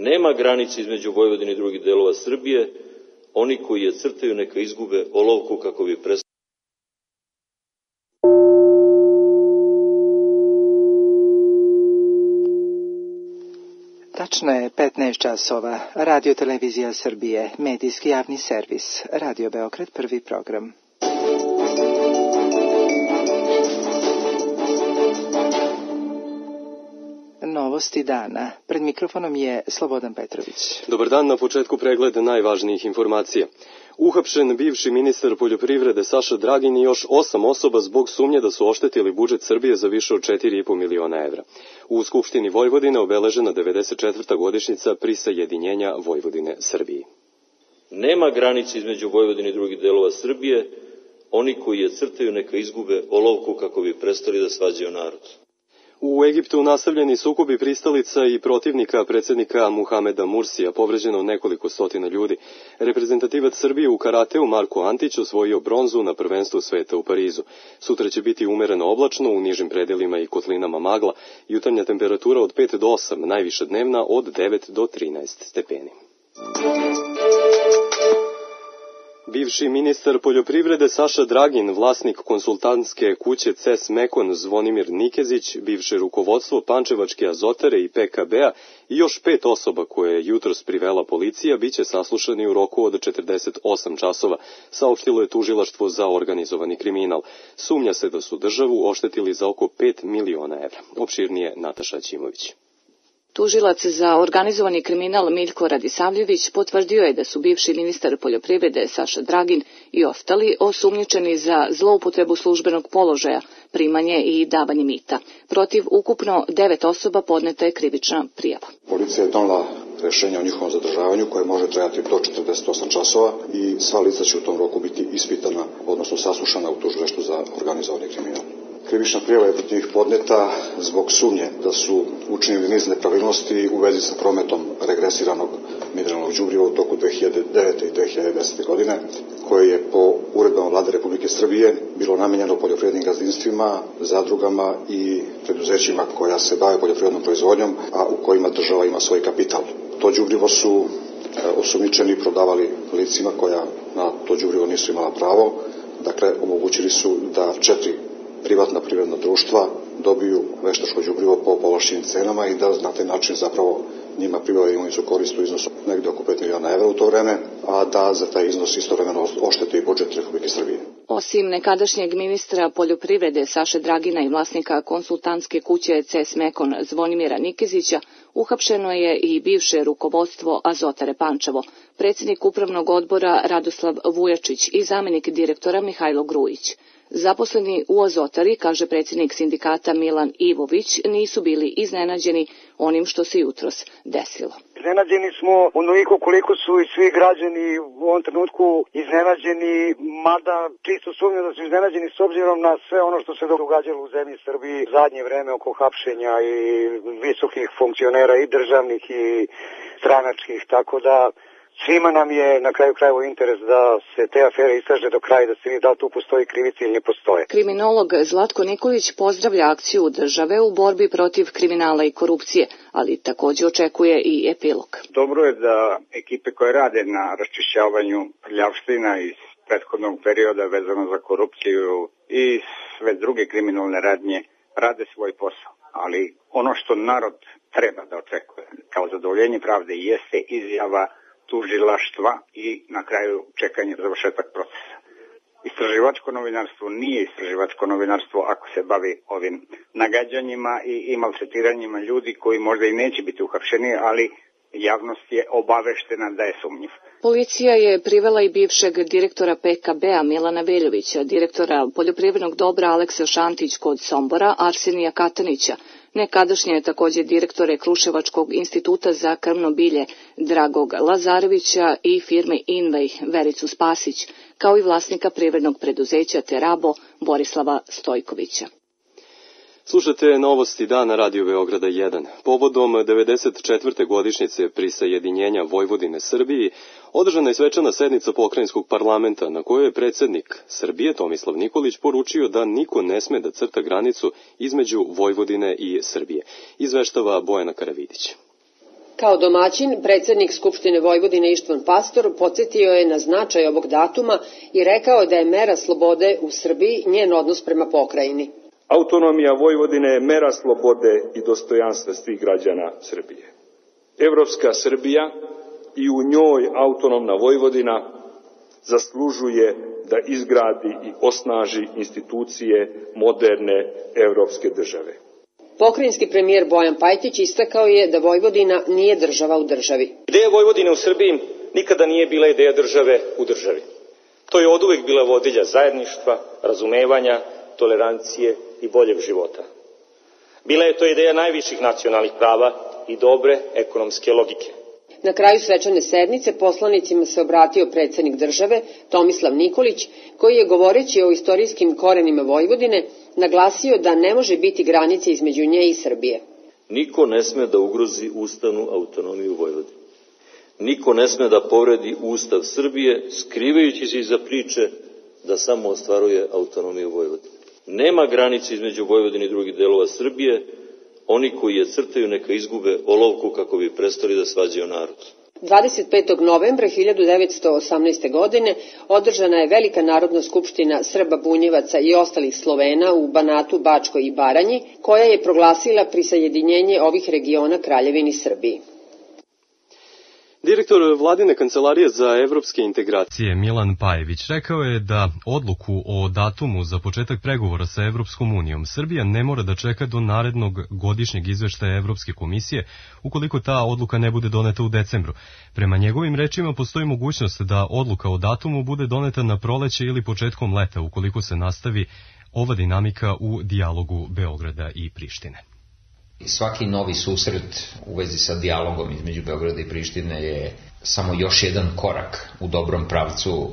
Nema granice između Vojvodine i drugih delova Srbije. Oni koji je crtaju neka izgube olovku kako bi prestali. Tačno je 15 časova. Radio Televizija Srbije, medijski javni servis. Radio Beograd, prvi program. Novosti dana. Pred mikrofonom je Slobodan Petrović. Dobar dan, na početku pregled najvažnijih informacija. Uhapšen bivši ministar poljoprivrede Saša Dragin i još 8 osoba zbog sumnje da su oštetili budžet Srbije za više od 4,5 miliona evra. U Skupštini Vojvodine obeležena 94. godišnjica prisajedinjenja Vojvodine Srbiji. Nema granice između Vojvodine i drugih delova Srbije. Oni koji je crtaju neka izgube olovku kako bi prestali da svađaju narod. U Egiptu nastavljeni sukobi pristalica i protivnika predsjednika Muhameda Mursija, povređeno nekoliko stotina ljudi. Reprezentativac Srbije u karateu Marko Antić osvojio bronzu na prvenstvu sveta u Parizu. Sutra će biti umereno oblačno, u nižim predelima i kotlinama magla, jutarnja temperatura od 5 do 8, najviša dnevna od 9 do 13 stepeni. Bivši ministar poljoprivrede Saša Dragin, vlasnik konsultantske kuće CES Mekon Zvonimir Nikezić, bivše rukovodstvo Pančevačke azotare i PKB-a i još 5 osoba koje je jutros privela policija biće saslušani u roku od 48 časova, saopštilo je tužilaštvo za organizovani kriminal. Sumnja se da su državu oštetili za oko 5 miliona evra. Opširnije Nataša Ćimović. Tužilac za organizovani kriminal Miljko Radisavljević potvrdio je da su bivši ministar poljoprivrede Saša Dragin i ostali osumnjičeni za zloupotrebu službenog položaja, primanje i davanje mita. Protiv ukupno 9 osoba podneta je krivična prijava. Policija je donela rešenje o njihovom zadržavanju koje može trajati do 48 časova i sva lica će u tom roku biti ispitana, odnosno saslušana u tužilaštvu za organizovani kriminal. Krivična prijava je protiv njih podneta zbog sumnje da su učinili niz nepravilnosti u vezi sa prometom regresiranog mineralnog đubriva u toku 2009. i 2010. godine, koje je po uredbama Vlade Republike Srbije bilo namenjeno poljoprivrednim gazdinstvima, zadrugama i preduzećima koja se bave poljoprivrednom proizvodnjom, a u kojima država ima svoj kapital. To đubrivo su osumnjičeni prodavali licima koja na to đubrivo nisu imala pravo, dakle omogućili su da 4 privatna privredna društva dobiju veštačko đubrivo po povlašćenim cenama i da na taj način zapravo njima pribave imovinsku korist u iznosu negde oko 5 miliona evra u to vreme, a da za taj iznos istovremeno oštete i budžet Republike Srbije. Osim nekadašnjeg ministra poljoprivrede Saše Dragina i vlasnika konsultantske kuće CES Mekon Zvonimira Nikezića, uhapšeno je i bivše rukovodstvo Azotare Pančevo, predsjednik upravnog odbora Radoslav Vujačić i zamenik direktora Mihajlo Grujić. Zaposleni u Azotari, kaže predsjednik sindikata Milan Ivović, nisu bili iznenađeni onim što se jutros desilo. Iznenađeni smo onoliko koliko su i svi građani u ovom trenutku iznenađeni, mada čisto sumnjam da su iznenađeni s obzirom na sve ono što se događalo u zemlji Srbiji zadnje vreme oko hapšenja i visokih funkcionera i državnih i stranačkih, tako da svima nam je na kraju krajeva interes da se te afere istraže do kraja, da se vidi da li tu postoji krivica ili ne postoje. Kriminolog Zlatko Nikolić pozdravlja akciju države u borbi protiv kriminala i korupcije, ali također očekuje i epilog. Dobro je da ekipe koje rade na raščišćavanju prljavština iz prethodnog perioda vezano za korupciju i sve druge kriminalne radnje rade svoj posao, ali ono što narod treba da očekuje kao zadovoljenje pravde jeste izjava tužilaštva i na kraju čekanje završetak procesa. Istraživačko novinarstvo nije istraživačko novinarstvo ako se bavi ovim nagađanjima i maltretiranjima ljudi koji možda i neće biti uhapšeni, ali javnost je obaveštena da je sumnjiv. Policija je privela i bivšeg direktora PKB-a Milana Veljovića, direktora poljoprivrednog dobra Aleksa Šantić kod Sombora, Arsenija Katanića, nekadašnje također direktore Kruševačkog instituta za krmno bilje Dragog Lazarevića i firme Invej Vericu Spasić, kao i vlasnika privrednog preduzeća Terabo Borislava Stojkovića. Slušate novosti dana Radio Beograda 1. Povodom 94. godišnjice prisajedinjenja Vojvodine Srbiji održana je svečana sednica pokrajinskog parlamenta na kojoj je predsjednik Srbije Tomislav Nikolić poručio da niko ne sme da crta granicu između Vojvodine i Srbije. Izveštava Bojana Karavidić. Kao domaćin, predsednik Skupštine Vojvodine Ištvan Pastor podsjetio je na značaj ovog datuma i rekao da je mera slobode u Srbiji njen odnos prema pokrajini. Autonomija Vojvodine je mera slobode i dostojanstva svih građana Srbije. Evropska Srbija i u njoj autonomna Vojvodina zaslužuje da izgradi i osnaži institucije moderne evropske države. Pokrajinski premijer Bojan Pajtić istakao je da Vojvodina nije država u državi. Ideja Vojvodine u Srbiji nikada nije bila ideja države u državi. To je oduvek bila vodilja zajedništva, razumevanja, tolerancije i boljeg života. Bila je to ideja najviših nacionalnih prava i dobre ekonomske logike. Na kraju svečane sednice poslanicima se obratio predsednik države Tomislav Nikolić, koji je govoreći o istorijskim korenima Vojvodine naglasio da ne može biti granice između nje i Srbije. Niko ne sme da ugrozi ustavnu autonomiju Vojvodine. Niko ne sme da povredi Ustav Srbije, skrivajući se iza priče da samo ostvaruje autonomiju Vojvodine. Nema granice između Vojvodine i drugih delova Srbije. Oni koji je crtaju neka izgube olovku kako bi prestali da svađaju narod. 25. novembra 1918. godine održana je Velika narodna skupština Srba, Bunjevaca i ostalih Slovena u Banatu, Bačkoj i Baranji, koja je proglasila prisajedinjenje ovih regiona Kraljevini Srbiji. Direktor Vladine kancelarije za evropske integracije Milan Pajević rekao je da odluku o datumu za početak pregovora sa Evropskom unijom Srbija ne mora da čeka do narednog godišnjeg izveštaja Evropske komisije ukoliko ta odluka ne bude doneta u decembru. Prema njegovim rečima postoji mogućnost da odluka o datumu bude doneta na proleće ili početkom leta ukoliko se nastavi ova dinamika u dijalogu Beograda i Prištine. Svaki novi susret u vezi sa dijalogom između Beograda i Prištine je samo još jedan korak u dobrom pravcu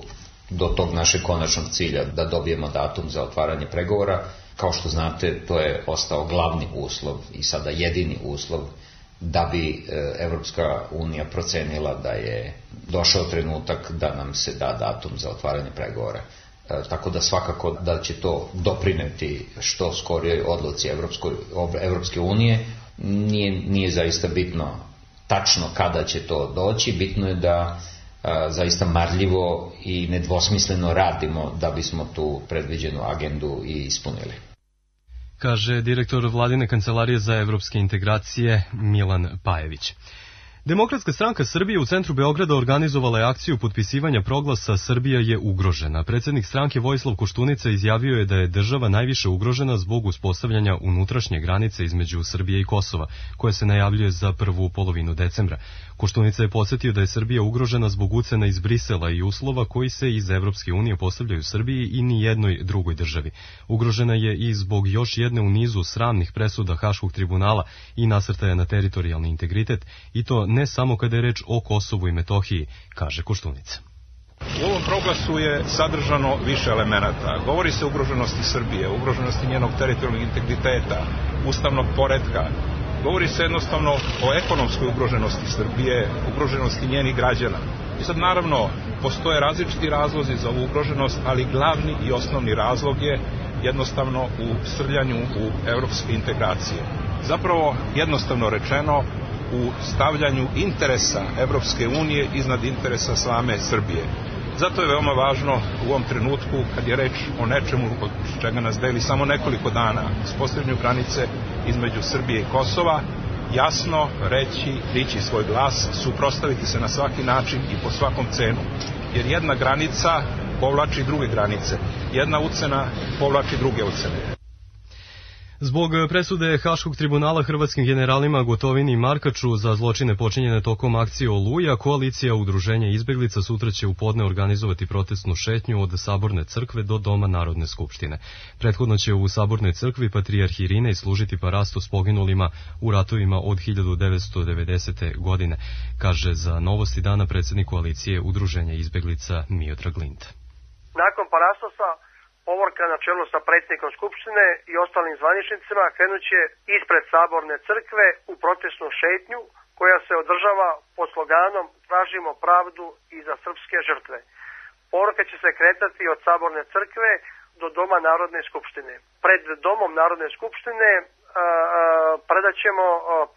do tog našeg konačnog cilja, da dobijemo datum za otvaranje pregovora. Kao što znate, to je ostao glavni uslov i sada jedini uslov da bi Evropska unija procenila da je došao trenutak da nam se da datum za otvaranje pregovora. Tako da svakako da će to doprineti što skorijoj odluci Evropske unije. Nije zaista bitno tačno kada će to doći, bitno je da zaista marljivo i nedvosmisleno radimo da bismo tu predviđenu agendu i ispunili. Kaže direktor Vladine kancelarije za evropske integracije Milan Pajević. Demokratska stranka Srbije u centru Beograda organizovala je akciju potpisivanja proglasa Srbija je ugrožena. Predsednik stranke Vojislav Koštunica izjavio je da je država najviše ugrožena zbog uspostavljanja unutrašnje granice između Srbije i Kosova, koja se najavljuje za prvu polovinu decembra. Koštunica je podsjetio da je Srbija ugrožena zbog ucena iz Brisela i uslova koji se iz Evropske unije postavljaju Srbiji i ni jednoj drugoj državi. Ugrožena je i zbog još jedne u nizu sramnih presuda Haškog tribunala i nasrtaja na teritorijalni integritet, i to ne samo kada je reč o Kosovu i Metohiji, kaže Koštunica. U ovom proglasu je sadržano više elemenata. Govori se o ugroženosti Srbije, ugroženosti njenog teritorijalnog integriteta, ustavnog poretka. Govori se jednostavno o ekonomskoj ugroženosti Srbije, ugroženosti njenih građana. I sad naravno postoje različiti razlozi za ovu ugroženost, ali glavni i osnovni razlog je jednostavno u srljanju u evropske integracije. Zapravo, jednostavno rečeno, u stavljanju interesa Evropske unije iznad interesa same Srbije. Zato je veoma važno u ovom trenutku, kad je reč o nečemu od čega nas deli samo nekoliko dana, uspostavljanju granice između Srbije i Kosova, jasno reći, dići svoj glas, suprotstaviti se na svaki način i po svakom cenu. Jer jedna granica povlači druge granice, jedna ucena povlači druge ucene. Zbog presude Haškog tribunala hrvatskim generalima Gotovini i Markaču za zločine počinjene tokom akcije Oluja, koalicija udruženja izbeglica sutra će u podne organizovati protestnu šetnju od Saborne crkve do Doma Narodne skupštine. Prethodno će u Sabornoj crkvi patrijarh Irinej služiti parastu s poginulima u ratovima od 1990. godine, kaže za Novosti dana predsjednik koalicije udruženja izbeglica Miodrag Linta. Nakon parastosa povorka na čelu sa predsjednikom Skupštine i ostalim zvaničnicima krenuće ispred Saborne crkve u protestnu šetnju koja se održava pod sloganom Tražimo pravdu i za srpske žrtve. Povorka će se kretati od Saborne crkve do Doma Narodne skupštine. Pred Domom Narodne skupštine predaćemo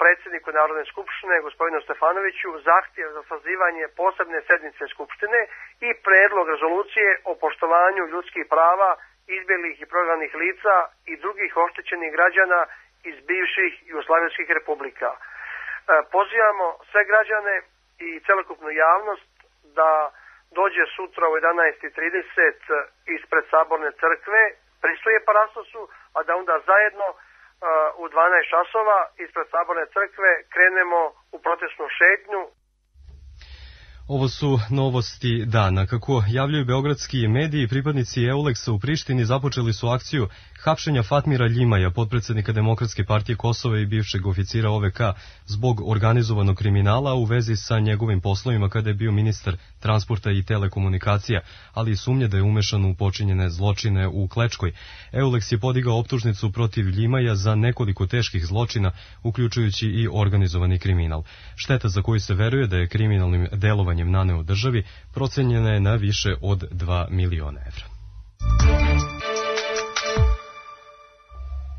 predsjedniku Narodne skupštine, gospodinu Stefanoviću, zahtjev za sazivanje posebne sednice Skupštine i predlog rezolucije o poštovanju ljudskih prava izbjeglih i prognanih lica i drugih oštećenih građana iz bivših jugoslavenskih republika. Pozivamo sve građane i celokupnu javnost da dođe sutra u 11:30 ispred Saborne crkve, prisuje Parastosu, a da onda zajedno u 12 časova ispred Saborne crkve krenemo u protestnu šetnju. Ovo su novosti dana. Kako javljaju beogradski mediji, pripadnici EULEX-a u Prištini započeli su akciju hapšenja Fatmira Ljimaja, potpredsednika Demokratske partije Kosova i bivšeg oficira OVK, zbog organizovanog kriminala u vezi sa njegovim poslovima kada je bio ministar transporta i telekomunikacija, ali i sumnje da je umešan u počinjene zločine u Klečkoj. EULEX je podigao optužnicu protiv Ljimaja za nekoliko teških zločina, uključujući i organizovani kriminal. Šteta za koju se veruje da je kriminalnim delovanjem naneo državi procenjena je na više od 2 miliona evra.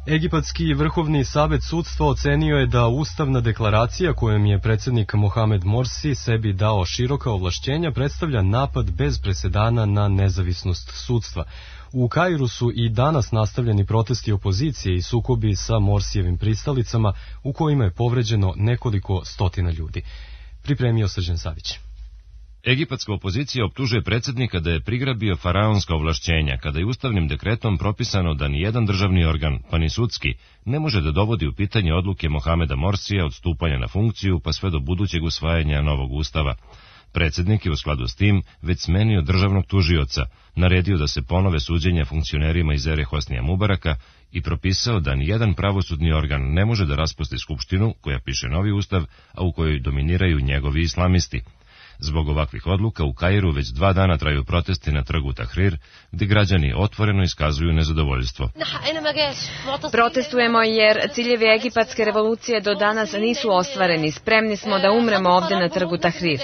Egipatski vrhovni savet sudstva ocenio je da ustavna deklaracija kojom je predsjednik Mohamed Morsi sebi dao široka ovlašćenja predstavlja napad bez presedana na nezavisnost sudstva. U Kairu su i danas nastavljeni protesti opozicije i sukobi sa Morsijevim pristalicama u kojima je povređeno nekoliko stotina ljudi. Pripremio Srđan Savić. Egipatska opozicija optužuje predsjednika da je prigrabio faraonska ovlašćenja, kada je ustavnim dekretom propisano da ni jedan državni organ, pa ni sudski, ne može da dovodi u pitanje odluke Mohameda Morsija od stupanja na funkciju pa sve do budućeg usvajanja novog ustava. Predsjednik je u skladu s tim već smenio državnog tužioca, naredio da se ponove suđenja funkcionerima iz ere Hosnija Mubaraka i propisao da ni jedan pravosudni organ ne može da raspusti skupštinu koja piše novi ustav, a u kojoj dominiraju njegovi islamisti. Zbog ovakvih odluka u Kairu već 2 dana traju protesti na trgu Tahrir, gdje građani otvoreno iskazuju nezadovoljstvo. Protestujemo jer ciljevi egipatske revolucije do danas nisu ostvareni. Spremni smo da umremo ovdje na trgu Tahrir.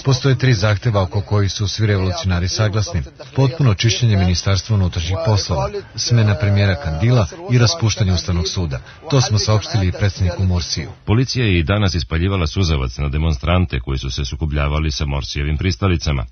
Postoje 3 zahteva oko kojih su svi revolucionari saglasni. Potpuno čišćenje Ministarstva unutrašnjih poslova, smena premijera Kandila i raspuštanje Ustavnog suda. To smo saopštili i predsjedniku Morsiju. Policija je i danas ispaljivala suzavac na demonstrante koji su se sukobljavali sa Morsijevim pristalicama.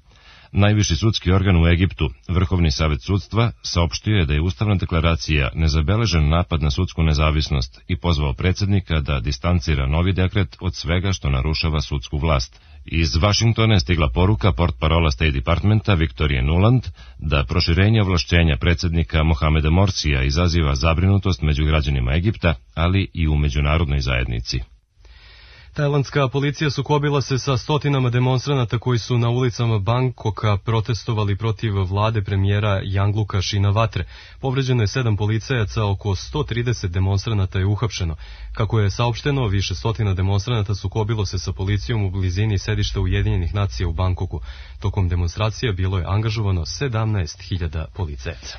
Najviši sudski organ u Egiptu, Vrhovni savet sudstva, saopštio je da je ustavna deklaracija nezabeležen napad na sudsku nezavisnost i pozvao predsjednika da distancira novi dekret od svega što narušava sudsku vlast. Iz Vašingtona je stigla poruka portparola State Departmenta Viktorije Nuland da proširenje ovlašćenja predsjednika Mohameda Morsija izaziva zabrinutost među građanima Egipta, ali i u međunarodnoj zajednici. Tajlandska policija sukobila se sa stotinama demonstranata koji su na ulicama Bangkoka protestovali protiv vlade premijera Yinglucka Shinawatre. Povređeno je 7 policajaca, oko 130 demonstranata je uhapšeno. Kako je saopšteno, više stotina demonstranata sukobilo se sa policijom u blizini sedišta Ujedinjenih nacija u Bangkoku. Tokom demonstracija bilo je angažovano 17.000 policajaca.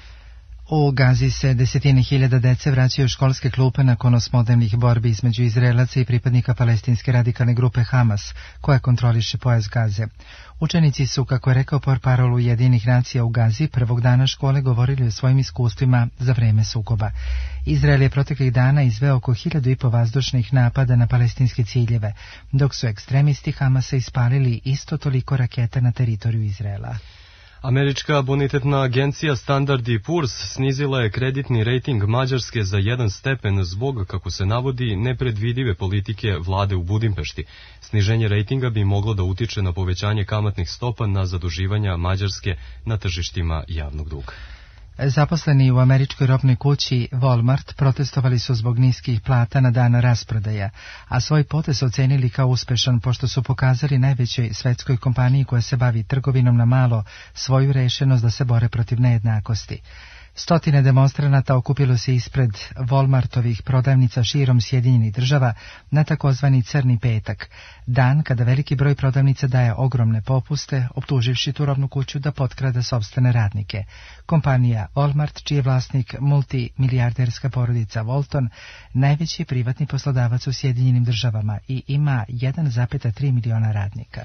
U Gazi se desetine hiljada dece vraćaju u školske klupe nakon osmodnevnih borbi između Izraelaca i pripadnika palestinske radikalne grupe Hamas, koja kontroliše pojas Gaze. Učenici su, kako je rekao portparol Ujedinjenih nacija u Gazi, prvog dana škole govorili o svojim iskustvima za vreme sukoba. Izrael je proteklih dana izveo oko 1.500 vazdušnih napada na palestinske ciljeve, dok su ekstremisti Hamasa ispalili isto toliko raketa na teritoriju Izraela. Američka bonitetna agencija Standard & Poor's snizila je kreditni rejting Mađarske za 1 stepen zbog, kako se navodi, nepredvidive politike vlade u Budimpešti. Sniženje rejtinga bi moglo da utiče na povećanje kamatnih stopa na zaduživanja Mađarske na tržištima javnog duga. Zaposleni u američkoj robnoj kući Walmart protestovali su zbog niskih plata na dan rasprodaja, a svoj potez ocenili kao uspešan pošto su pokazali najvećoj svetskoj kompaniji koja se bavi trgovinom na malo svoju rešenost da se bore protiv nejednakosti. Stotine demonstranata okupilo se ispred Walmartovih prodavnica širom Sjedinjenih Država na takozvani Crni petak, dan kada veliki broj prodavnica daje ogromne popuste, optuživši tu robnu kuću da potkrada sopstvene radnike. Kompanija Walmart, čiji je vlasnik multimilijarderska porodica Walton, najveći je privatni poslodavac u Sjedinjenim Državama i ima 1,3 miliona radnika.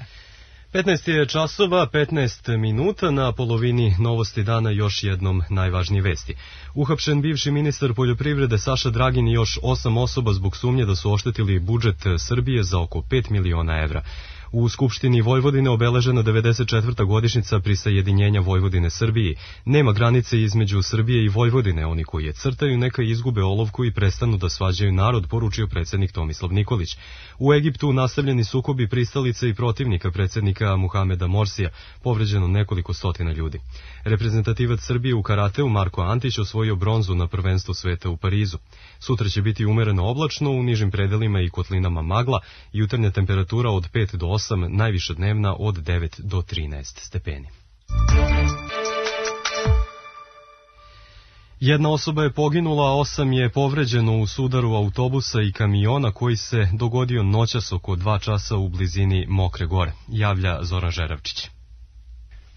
15 je časova, 15 minuta, na polovini novosti dana još jednom najvažnije vesti. Uhapšen bivši ministar poljoprivrede Saša Dragin i još 8 osoba zbog sumnje da su oštetili budžet Srbije za oko 5 miliona evra. U Skupštini Vojvodine obeležena 94. godišnjica prisajedinjenja Vojvodine Srbiji. Nema granice između Srbije i Vojvodine, oni koji je crtaju neka izgube olovku i prestanu da svađaju narod, poručio predsjednik Tomislav Nikolić. U Egiptu nastavljeni sukobi pristalice i protivnika predsjednika Muhameda Morsija, povređeno nekoliko stotina ljudi. Reprezentativac Srbije u karateu Marko Antić osvojio bronzu na prvenstvu sveta u Parizu. Sutra će biti umereno oblačno, u nižim predelima i kotlinama magla, jutarnja temperatura od 5 do 8, najviša dnevna od 9 do 13 stepeni. Jedna osoba je poginula, a 8 je povređeno u sudaru autobusa i kamiona koji se dogodio noćas oko 2 časa u blizini Mokre Gore, javlja Zoran Žeravčić.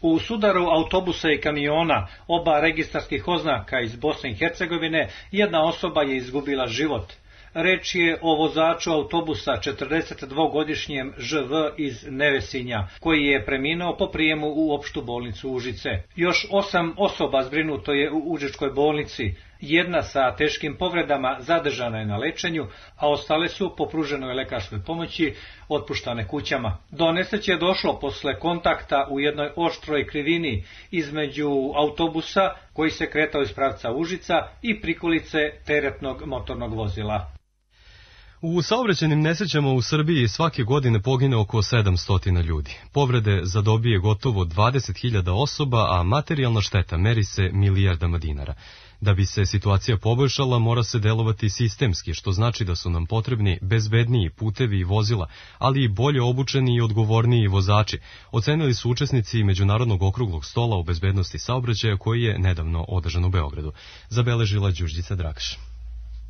U sudaru autobusa i kamiona, oba registarskih oznaka iz Bosne i Hercegovine, jedna osoba je izgubila život. Reč je o vozaču autobusa 42-godišnjem ŽV iz Nevesinja, koji je preminuo po prijemu u opštu bolnicu Užice. Još 8 osoba zbrinuto je u Užičkoj bolnici. Jedna sa teškim povredama zadržana je na lečenju, a ostale su po pruženoj lekarskoj pomoći otpuštane kućama. Do nesreće je došlo posle kontakta u jednoj oštroj krivini između autobusa koji se kretao iz pravca Užica i prikolice teretnog motornog vozila. U saobraćajnim nesrećama u Srbiji svake godine pogine oko 700 ljudi. Povrede zadobije gotovo 20.000 osoba, a materijalna šteta meri se milijardama dinara. Da bi se situacija poboljšala, mora se delovati sistemski, što znači da su nam potrebni bezbedniji putevi i vozila, ali i bolje obučeni i odgovorniji vozači, ocenili su učesnici Međunarodnog okruglog stola o bezbednosti saobraćaja koji je nedavno održan u Beogradu. Zabeležila Đurđica Drakaš.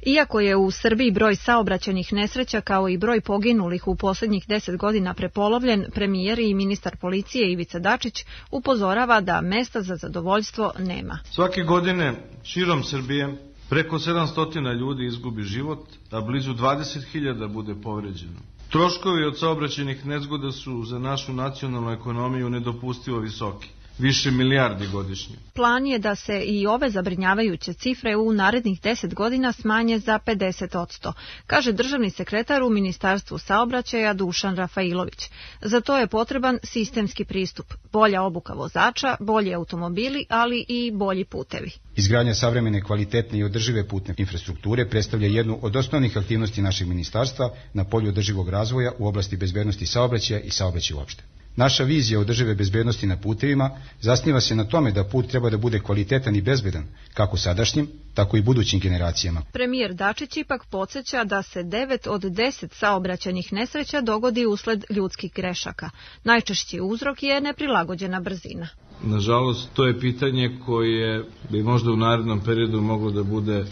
Iako je u Srbiji broj saobraćajnih nesreća kao i broj poginulih u posljednjih 10 godina prepolovljen, premijer i ministar policije Ivica Dačić upozorava da mesta za zadovoljstvo nema. Svake godine širom Srbije preko 700 ljudi izgubi život, a blizu 20.000 bude povređeno. Troškovi od saobraćajnih nezgoda su za našu nacionalnu ekonomiju nedopustivo visoki. Više milijardi godišnje. Plan je da se i ove zabrinjavajuće cifre u narednih 10 godina smanje za 50%, kaže državni sekretar u Ministarstvu saobraćaja Dušan Rafailović. Za to je potreban sistemski pristup, bolja obuka vozača, bolji automobili, ali i bolji putevi. Izgradnja savremene, kvalitetne i održive putne infrastrukture predstavlja jednu od osnovnih aktivnosti našeg ministarstva na polju održivog razvoja u oblasti bezbednosti saobraćaja i saobraćaja uopšte. Naša vizija održive bezbednosti na putevima zasniva se na tome da put treba da bude kvalitetan i bezbedan, kako sadašnjim, tako i budućim generacijama. Premijer Dačić ipak podsjeća da se 9 od 10 saobraćajnih nesreća dogodi usled ljudskih grešaka. Najčešći uzrok je neprilagođena brzina. Nažalost, to je pitanje koje bi možda u narednom periodu moglo da bude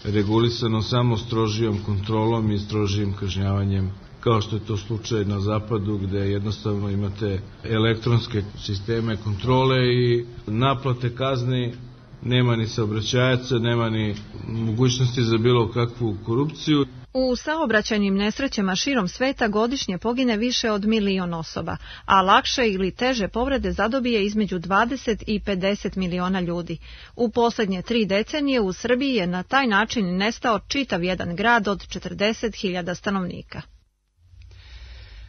regulisano samo strožijom kontrolom i strožijim kažnjavanjem, kao što je to slučaj na zapadu, gde jednostavno imate elektronske sisteme kontrole i naplate kazni, nema ni saobraćajaca, nema ni mogućnosti za bilo kakvu korupciju. U saobraćajnim nesrećama širom sveta godišnje pogine više od 1 milion osoba, a lakše ili teže povrede zadobije između 20 i 50 miliona ljudi. U posljednje 3 decenije u Srbiji je na taj način nestao čitav jedan grad od 40.000 stanovnika.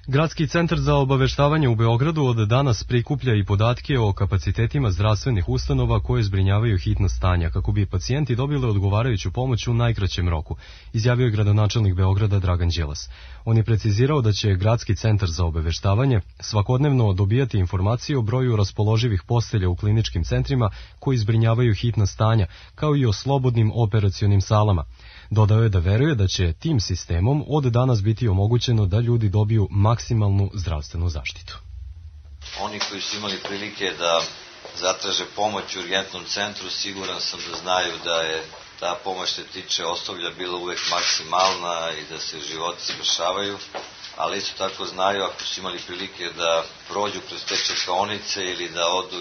Gradski centar za obaveštavanje u Beogradu od danas prikuplja i podatke o kapacitetima zdravstvenih ustanova koje zbrinjavaju hitna stanja, kako bi pacijenti dobili odgovarajuću pomoć u najkraćem roku, izjavio je gradonačelnik Beograda Dragan Đilas. On je precizirao da će Gradski centar za obaveštavanje svakodnevno dobijati informacije o broju raspoloživih postelja u kliničkim centrima koji zbrinjavaju hitna stanja, kao i o slobodnim operacionim salama. Dodao je da veruje da će tim sistemom od danas biti omogućeno da ljudi dobiju maksimalnu zdravstvenu zaštitu. Oni koji su imali prilike da zatraže pomoć u urgentnom centru, siguran sam da znaju da je ta pomoć što tiče osoblja bila uvek maksimalna i da se životi spašavaju, ali isto tako znaju ako su imali prilike da prođu kroz te čekaonice ili da odu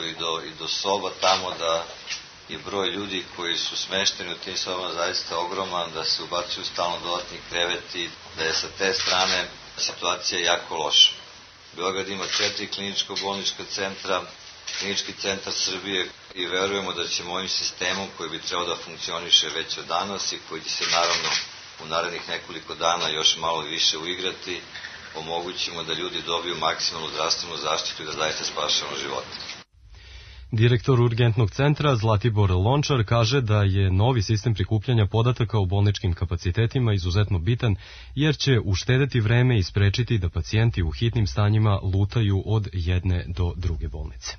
i do soba tamo, da je broj ljudi koji su smešteni u tim sobama zaista ogroman, da se ubacuju stalno dodatni kreveti, da je sa te strane situacija jako loša. Beograd ima 4 kliničko-bolnička centra, Klinički centar Srbije i verujemo da ćemo ovim sistemom koji bi trebao da funkcioniše već od danas i koji će se naravno u narednih nekoliko dana još malo više uigrati, omogućimo da ljudi dobiju maksimalnu zdravstvenu zaštitu i da zaista spašamo živote. Direktor urgentnog centra Zlatibor Lončar kaže da je novi sistem prikupljanja podataka o bolničkim kapacitetima izuzetno bitan jer će uštedeti vreme i sprečiti da pacijenti u hitnim stanjima lutaju od jedne do druge bolnice.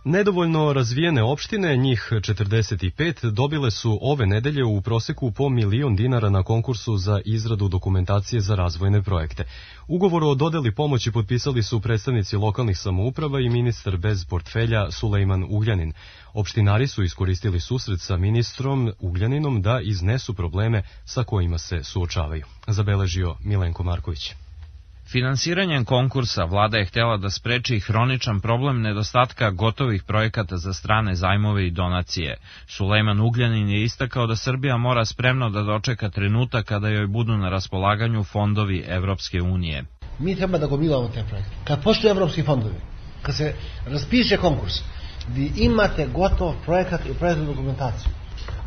Nedovoljno razvijene opštine, njih 45, dobile su ove nedelje u proseku po 1.000.000 dinara na konkursu za izradu dokumentacije za razvojne projekte. Ugovor o dodeli pomoći potpisali su predstavnici lokalnih samouprava i ministar bez portfelja Sulejman Ugljanin. Opštinari su iskoristili susret sa ministrom Ugljaninom da iznesu probleme sa kojima se suočavaju. Zabeležio Milenko Marković. Finansiranjem konkursa vlada je htela da spreči hroničan problem nedostatka gotovih projekata za strane zajmove i donacije. Sulejman Ugljanin je istakao da Srbija mora spremno da dočeka trenutak kada joj budu na raspolaganju fondovi Evropske unije. Mi treba da gomilamo te projekte. Kad postoje evropski fondovi, kad se raspiše konkurs, vi imate gotov projekat i projektnu dokumentaciju,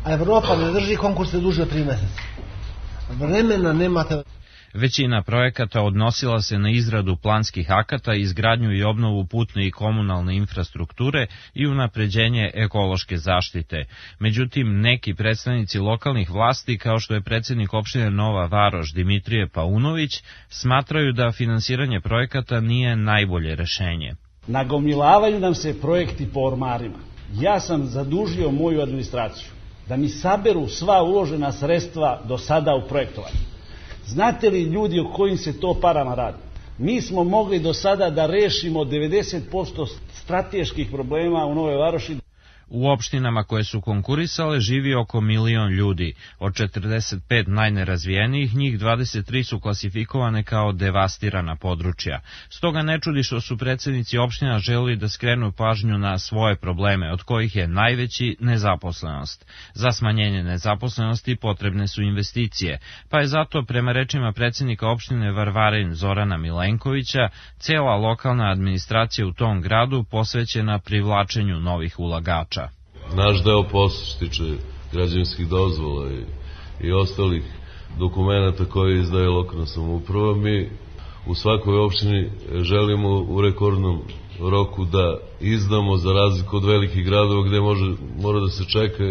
a Evropa ne drži konkurse duže od 3 meseca. Vremena nemate. Većina projekata odnosila se na izradu planskih akata, izgradnju i obnovu putne i komunalne infrastrukture i unapređenje ekološke zaštite. Međutim, neki predstavnici lokalnih vlasti, kao što je predsjednik opštine Nova Varoš Dimitrije Paunović, smatraju da finansiranje projekata nije najbolje rešenje. Nagomilavaju nam se projekti po ormarima. Ja sam zadužio moju administraciju da mi saberu sva uložena sredstva do sada u projektovanju. Znate li ljudi o kojim se to parama radi? Mi smo mogli do sada da rešimo 90% strateških problema u Novoj Varoši. U opštinama koje su konkurisale živi oko 1.000.000 ljudi. Od 45 najnerazvijenijih, njih 23 su klasifikovane kao devastirana područja. Stoga ne čudi što su predsednici opština želeli da skrenu pažnju na svoje probleme, od kojih je najveći nezaposlenost. Za smanjenje nezaposlenosti potrebne su investicije, pa je zato, prema rečima predsednika opštine Varvarin Zorana Milenkovića, cela lokalna administracija u tom gradu posvećena privlačenju novih ulagača. Naš deo posla što tiče građevinskih dozvola i ostalih dokumenta koje izdaje lokalna samouprava, mi u svakoj opštini želimo u rekordnom roku da izdamo, za razliku od velikih gradova gde mora da se čeka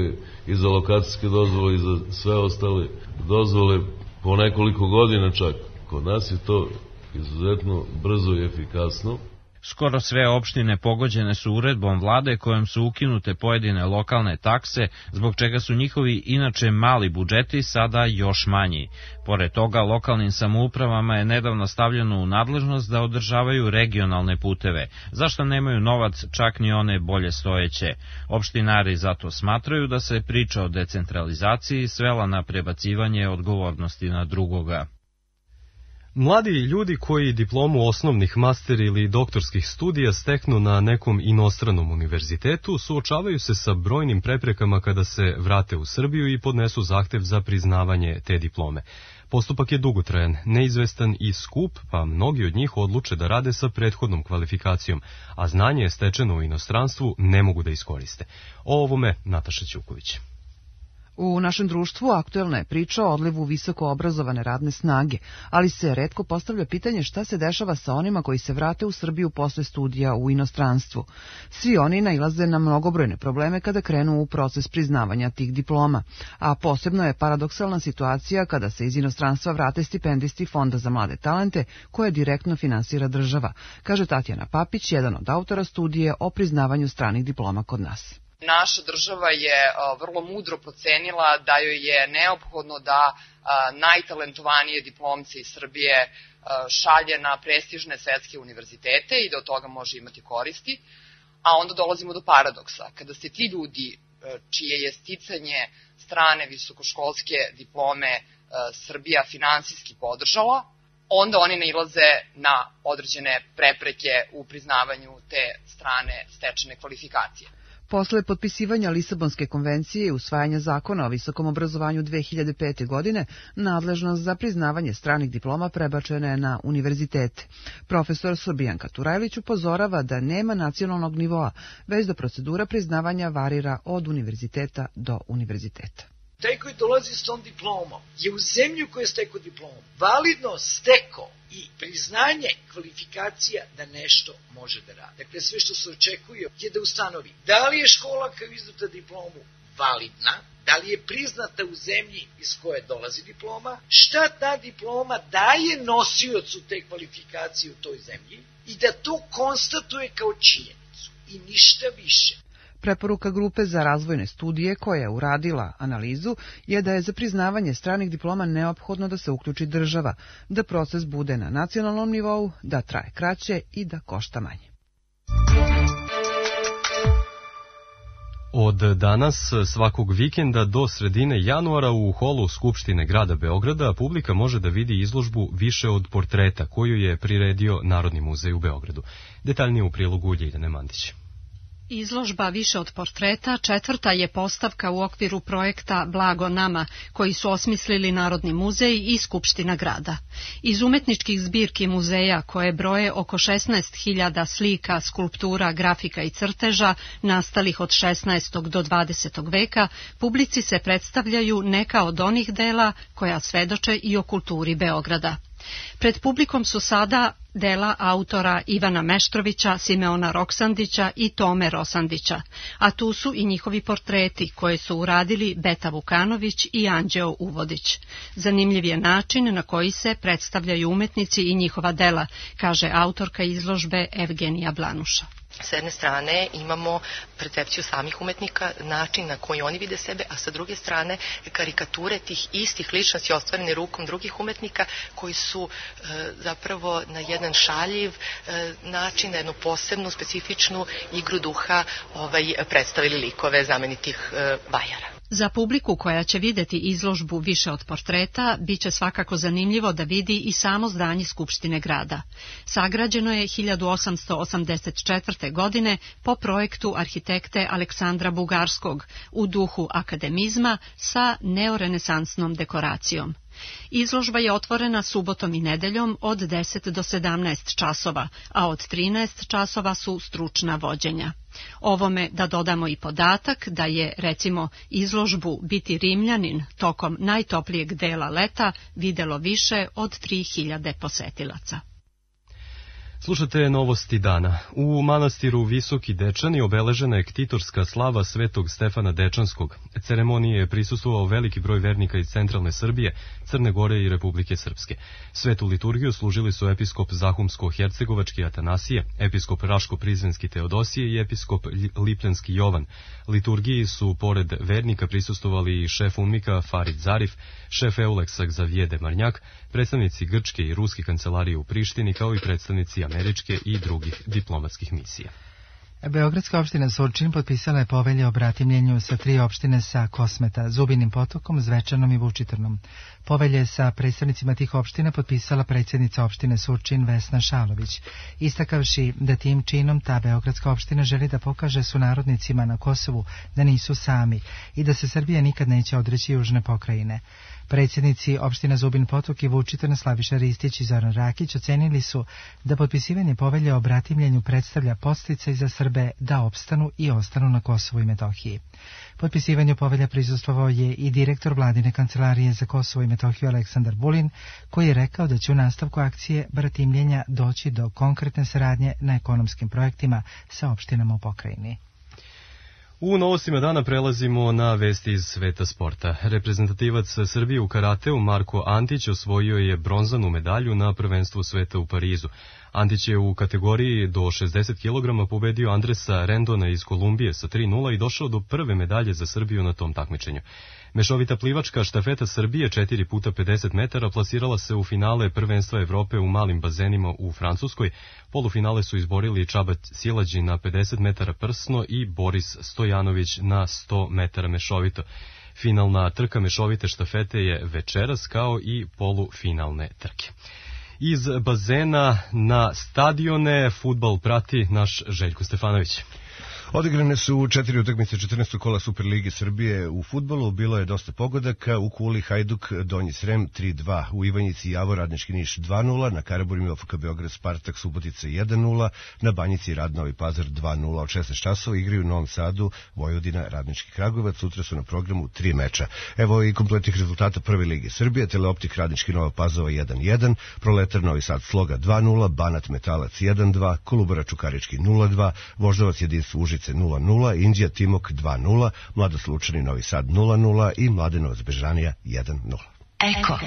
i za lokacijske dozvole i za sve ostale dozvole po nekoliko godina čak. Kod nas je to izuzetno brzo i efikasno. Skoro sve opštine pogođene su uredbom vlade kojom su ukinute pojedine lokalne takse, zbog čega su njihovi inače mali budžeti sada još manji. Pored toga, lokalnim samoupravama je nedavno stavljeno u nadležnost da održavaju regionalne puteve, zašto nemaju novac čak ni one bolje stojeće. Opštinari zato smatraju da se priča o decentralizaciji svela na prebacivanje odgovornosti na drugoga. Mladi ljudi koji diplomu osnovnih, master ili doktorskih studija steknu na nekom inostranom univerzitetu suočavaju se sa brojnim preprekama kada se vrate u Srbiju i podnesu zahtev za priznavanje te diplome. Postupak je dugotrajan, neizvestan i skup, pa mnogi od njih odluče da rade sa prethodnom kvalifikacijom, a znanje je stečeno u inostranstvu ne mogu da iskoriste. O ovome Nataša Ćuković. U našem društvu aktuelna je priča o odlivu visoko obrazovane radne snage, ali se retko postavlja pitanje šta se dešava sa onima koji se vrate u Srbiju posle studija u inostranstvu. Svi oni nailaze na mnogobrojne probleme kada krenu u proces priznavanja tih diploma, a posebno je paradoksalna situacija kada se iz inostranstva vrate stipendisti Fonda za mlade talente koje direktno finansira država, kaže Tatjana Papić, jedan od autora studije o priznavanju stranih diploma kod nas. Naša država je vrlo mudro procenila da joj je neophodno da najtalentovanije diplomce iz Srbije šalje na prestižne svetske univerzitete i da od toga može imati koristi, a onda dolazimo do paradoksa. Kada se ti ljudi čije je sticanje strane visokoškolske diplome Srbija finansijski podržala, onda oni nailaze na određene prepreke u priznavanju te strane stečene kvalifikacije. Posle potpisivanja Lisabonske konvencije i usvajanja zakona o visokom obrazovanju 2005. godine, nadležnost za priznavanje stranih diploma prebačena je na univerzitete. Profesor Srbijanka Turajlić upozorava da nema nacionalnog nivoa, već da procedura priznavanja varira od univerziteta do univerziteta. Taj koji dolazi s tom diplomom je u zemlju koja je stekao diplomu validno stekao i priznanje kvalifikacija da nešto može da radi. Dakle, sve što se očekuje je da ustanovi da li je škola koja je izdata diplomu validna, da li je priznata u zemlji iz koje dolazi diploma, šta ta diploma daje nosiocu te kvalifikacije u toj zemlji i da to konstatuje kao činjenicu i ništa više. Preporuka Grupe za razvojne studije koja je uradila analizu je da je za priznavanje stranih diploma neophodno da se uključi država, da proces bude na nacionalnom nivou, da traje kraće i da košta manje. Od danas, svakog vikenda do sredine januara u holu Skupštine grada Beograda publika može da vidi izložbu Više od portreta koju je priredio Narodni muzej u Beogradu. Detaljnije u prilogu Ljiljane Mandić. Izložba Više od portreta četvrta je postavka u okviru projekta Blago nama, koji su osmislili Narodni muzej i Skupština grada. Iz umetničkih zbirki muzeja, koje broje oko 16.000 slika, skulptura, grafika i crteža, nastalih od 16. do 20. veka, publici se predstavljaju neka od onih dela koja svedoče i o kulturi Beograda. Pred publikom su sada dela autora Ivana Meštrovića, Simeona Roksandića i Tome Rosandića, a tu su i njihovi portreti koje su uradili Beta Vukanović i Anđeo Uvodić. Zanimljiv je način na koji se predstavljaju umetnici i njihova dela, kaže autorka izložbe Evgenija Blanuša. S jedne strane imamo percepciju samih umetnika, način na koji oni vide sebe, a sa druge strane karikature tih istih ličnosti ostvarene rukom drugih umetnika koji su zapravo na jedan šaljiv način, na jednu posebnu, specifičnu igru duha predstavili likove znamenitih vajara. Za publiku koja će videti izložbu Više od portreta, bit će svakako zanimljivo da vidi i samo zdanje Skupštine grada. Sagrađeno je 1884. godine po projektu arhitekte Aleksandra Bugarskog u duhu akademizma sa neorenesansnom dekoracijom. Izložba je otvorena subotom i nedeljom od 10 do 17 časova, a od 13 časova su stručna vođenja. Ovome da dodamo i podatak da je, recimo, izložbu Biti Rimljanin tokom najtoplijeg dela leta videlo više od 3000 posetilaca. Slušate novosti dana. U manastiru Visoki Dečani obeležena je ktitorska slava Svetog Stefana Dečanskog. Ceremoniji je prisustvovao veliki broj vernika iz centralne Srbije, Crne Gore i Republike Srpske. Svetu liturgiju služili su episkop Zahumsko-Hercegovački Atanasije, episkop Raško-Prizrenski Teodosije i episkop Lipljanski Jovan. Liturgiji su pored vernika prisustvovali i šef UNMIK-a Farid Zarif, šef Euleksa Xavier Demarnjak, predstavnici grčke i ruske kancelarije u Prištini, kao i predstavnici američke i drugih diplomatskih misija. Beogradska opština Surčin potpisala je povelje o bratimljenju sa 3 opštine sa Kosmeta, Zubinim Potokom, Zvečanom i Vučitrnom. Povelje sa predstavnicima tih opština potpisala predsjednica opštine Surčin Vesna Šalović, istakavši da tim činom ta beogradska opština želi da pokaže sunarodnicima na Kosovu da nisu sami i da se Srbija nikad neće odreći južne pokrajine. Predsjednici opština Zubin Potok i Vučitrn Slaviša Ristić i Zoran Rakić ocenili su da potpisivanje povelje o bratimljenju predstavlja podsticaj za Srbe da opstanu i ostanu na Kosovu i Metohiji. Potpisivanju povelja prisustvovao je i direktor vladine kancelarije za Kosovo i Metohiju Aleksandar Vulin, koji je rekao da će u nastavku akcije bratimljenja doći do konkretne saradnje na ekonomskim projektima sa opštinama u pokrajini. U novostima dana prelazimo na vesti iz sveta sporta. Reprezentativac Srbije u karateu Marko Antić osvojio je bronzanu medalju na prvenstvu sveta u Parizu. Antić je u kategoriji do 60 kg pobedio Andresa Rendona iz Kolumbije sa 3:0 i došao do prve medalje za Srbiju na tom takmičenju. Mešovita plivačka štafeta Srbije 4x50 metara plasirala se u finale prvenstva Evrope u malim bazenima u Francuskoj. Polufinale su izborili Čaba Silađi na 50 metara prsno i Boris Stojanović na 100 metara mešovito. Finalna trka mešovite štafete je večeras, kao i polufinalne trke. Iz bazena na stadione fudbal prati naš Željko Stefanović. Odigrane su 4 utakmice 14. kola Superlige Srbije u fudbalu, bilo je dosta pogodaka, u Kuli Hajduk Donji Srem 3-2, u Ivanjici Javor Radnički Niš 2-0, na Karaburmi OFK Beograd Spartak Subotica 1-0, na Banjici Rad Novi Pazar 2-0, od 16 časova igraju u Novom Sadu Vojvodina Radnički Kragujevac, sutra su na programu 3 meča. Evo i kompletnih rezultata Prve lige Srbije: Teleoptik Radnički Nova Pazova 1-1, Proletar Novi Sad Sloga 2-0, Banat Metalac 1-2, Kolubara Čukarički 0-2, Voždovac Jedinstvo Užice 0-0, Indija Timok 2-0, Mladost Lučani Novi Sad 0-0 i Mladenovac Bežanija 1-0. Eko.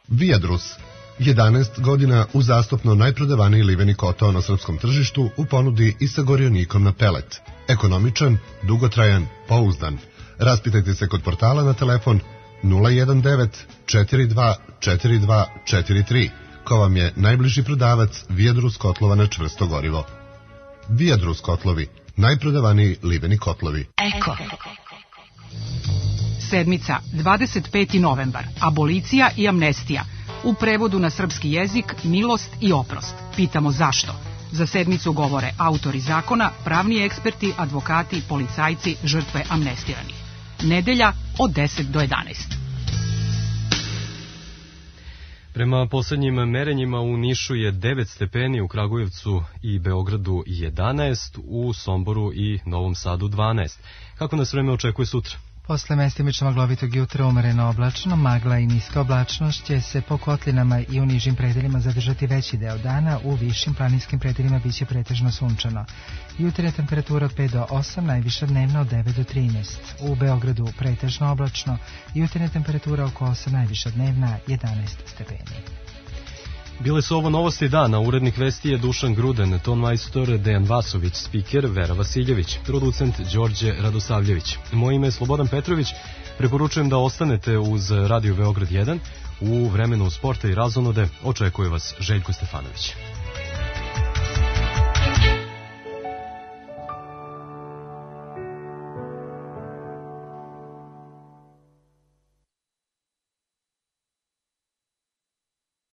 Viadrus. 11 godina uzastopno najprodavaniji liveni kotao na srpskom tržištu u ponudi i sa gorionikom na pelet. Ekonomičan, dugotrajan, pouzdan. Raspitajte se kod portala na telefon 019 42 42 43, ko vam je najbliži prodavac Viadrus kotlova na čvrsto gorivo. Viadrus kotlovi, najprodavaniji liveni kotlovi. Eko. Sedmica, 25. novembar, abolicija i amnestija. U prevodu na srpski jezik milost i oprost. Pitamo zašto. Za sedmicu govore autori zakona, pravni eksperti, advokati, policajci, žrtve amnestiranih. Nedelja od 10 do 11. Prema poslednjim merenjima u Nišu je 9 stepeni, u Kragujevcu i Beogradu 11, u Somboru i Novom Sadu 12. Kako nas vreme očekuje sutra? Posle mestimično maglovitog jutra umereno oblačno, magla i niska oblačnost će se po kotlinama i u nižim predelima zadržati veći deo dana, u višim planinskim predelima biće pretežno sunčano. Jutarnja temperatura od 5 do 8, najviša dnevna od 9 do 13. U Beogradu pretežno oblačno, jutarnja temperatura oko 8, najviša dnevna 11 stepeni. Bile su ovo novosti dana, urednik vesti je Dušan Gruden, ton majstor Dejan Vasović, spiker Vera Vasiljević, producent Đorđe Radosavljević. Moje ime je Slobodan Petrović, preporučujem da ostanete uz Radio Beograd 1, u vremenu sporta i razonode očekuje vas Željko Stefanović.